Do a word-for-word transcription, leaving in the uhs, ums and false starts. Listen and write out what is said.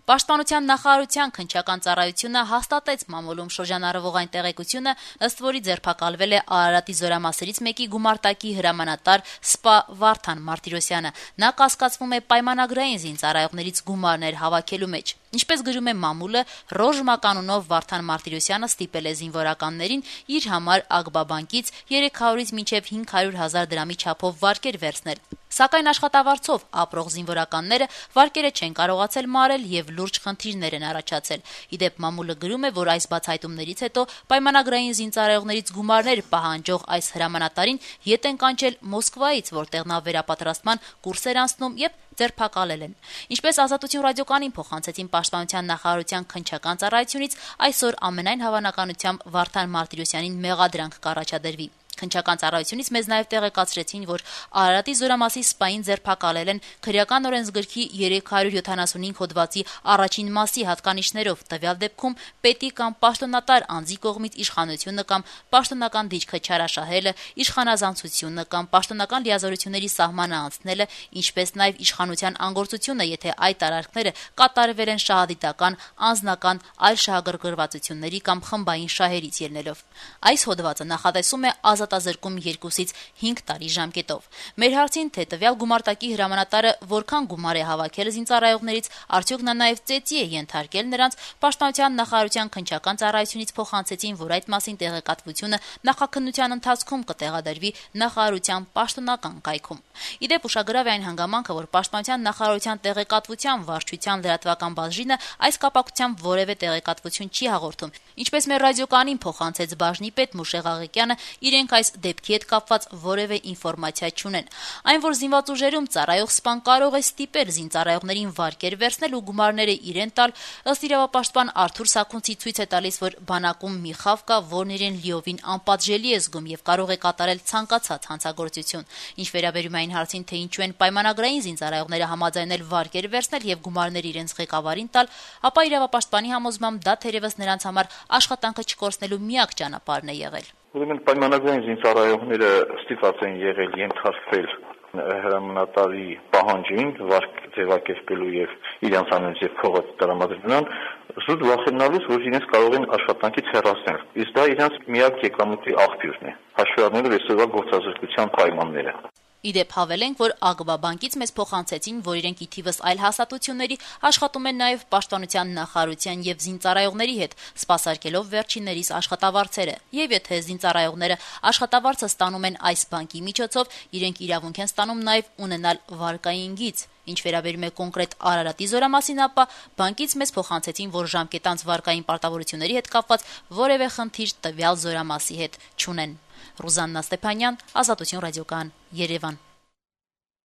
Պաշտպանության նախարարության քննչական ծառայությունը հաստատեց մամուլում շրջանառվող այն տեղեկությունը, ըստ որի ձերբակալվել է Արարատի զորամասերից մեկի գումարտակի հրամանատար Սպա Վարդան Մարտիրոսյանը։ Նա կասկածվում է պայմանագրային զինծառայողներից գումարներ հավաքելու մեջ։ Ինչպես գրում է մամուլը, Ռոժմա կանունով Վարդան Մարտիրոսյանը ստիպել է զինվորականներին իր համար Ագբա բանկից երեք հարյուրից մինչև հինգ հարյուր հազար դրամի չափով վարկեր վերցնել։ Սակայն աշխատավարձով ապրող զինվորականները վարկերը չեն կարողացել մարել եւ լուրջ խնդիրներ են առաջացել։ Իդեպ մամուլը գրում է, որ այս բացահայտումներից հետո պայմանագրային զինծառայողներից գումարներ պահանջող այս հրամանատարին ետ են կանչել Մոսկվայից, որտեղ նա վերապատրաստման կուրսեր անցնում եւ ձերբակալել են։ Ինչպես Ազատություն ռադիոկայանին փոխանցեցին Պաշտպանության նախարարության քննչական ծառայությունից, այսօր ամենայն հավանականությամբ Վարդան Մարտիրոսյանին մեղադրանք կառաջադրվի։ Քննչական ծառայությունից մեզ նաև տեղեկացրեցին, որ Արարատի զորամասի սպային ձերբակալել են քրեական օրենսգրքի երեք հարյուր յոթանասունհինգ հոդվածի առաջին մասի հատկանիշներով, տվյալ դեպքում պետի կամ պաշտոնատար անձի կողմից իշխանությունը կամ պաշտոնական դիրքը չարաշահելը, իշխանազանցությունը կամ պաշտոնական լիազորությունների սահմանը անցնելը, ինչպես նաև իշխանության անգործությունը, եթե այդ արարքները կատարվել են շահադիտական, անձնական, այլ շահագրգռվածությունների կամ խմբային շահերից ելնելով։ Այս հոդվածը նախատեսում է ազատազրկում երկուսից հինգ տարի ժամկետով։ Մեր հարցին, թե տվյալ գումարտակի հրամանատարը որքան գումար է հավաքել զինծառայողներից, արդյոք նա նաև ծեծի է ենթարկել նրանց, Պաշտպանության նախարարության քննչական ծառայությունից փոխանցեցին, որ այդ մասին տեղեկատվությունը նախաքննության ընթացքում կտեղադրվի նախարարության պաշտոնական կայքում։ Իդեպ ուշագրավ է այն հանգամանքը, որ Պաշտպանության նախարարության տեղեկատվության վարչության լրատվական բաժինը այս կապակցությամբ որևէ տեղեկատվություն չի հաղորդում։ Ինչպես մեր ռադիոկայանին փոխանցեց բաժնի պետ Մուշեղ Աղիկյանը, իրենք այս դեպքի հետ կապված որևէ ինֆորմացիա չունեն։ Այն, որ զինված ուժերում ծառայող սպան կարող է ստիպել զինծառայողներին վարկեր վերցնել ու գումարները իրեն տալ, ըստ իրավապաշտպան Արթուր Սաքունցի ցույց է տալիս, որ բանակում մի խավ կա, որն իրեն լիովին անպատժելի է զգում եւ կարող է կատարել ցանկացած հանցագործություն։ Ինչ վերաբերում է այն հարցին, թե ինչու են պայմանագրային զինծառայողները համաձայնել վարկեր վերցնել եւ գումարներ իրենց ղեկավարին տալ, ապա իրավապաշտպանի համոզմամբ դա թերևս նրանց համար աշխատանքը չկորցնելու միակ ճանապարհն է եղել։ Ուրեմն պայմանագրային զինծառայողները ստիպված են եղել ենթարկվել հրամանատարի պահանջին վարկ ձևակերպելու եւ իրենց անունից եւ փողը տրամադրման, զուտ վախենալուց, որ իրենց կարող են աշխատանքից հեռացնել։ Իսկ դա իրենց միակ եկամուտի աղբյուրն է, հաշվի առնելով այսօրվա գործազրկության պայմանները։ Իդեպ հավելենք, որ Ագբա բանկից մեզ փոխանցեցին, որ իրենք ի թիվս այլ հաստատությունների աշխատում են նաև Պաշտպանության նախարարության եւ զինծառայողների հետ, սպասարկելով վերջիններիս աշխատավարձերը։ Եվ եթե զինծառայողները աշխատավարձը ստանում են այս բանկի միջոցով, իրենք իրավունք են ստանում նաև ունենալ վարկային գիծ։ Ինչ վերաբերում է կոնկրետ Արարատի զորամասին, ապա բանկից մեզ փոխանցեցին, որ ժամկետանց վարկային պարտավորությունների հետ կապված որևէ խնդիր տվյալ զորամասի հետ չունեն։ Ռուզաննա Ստեփանյան, Ազատություն ռադիոկայան, Երևան։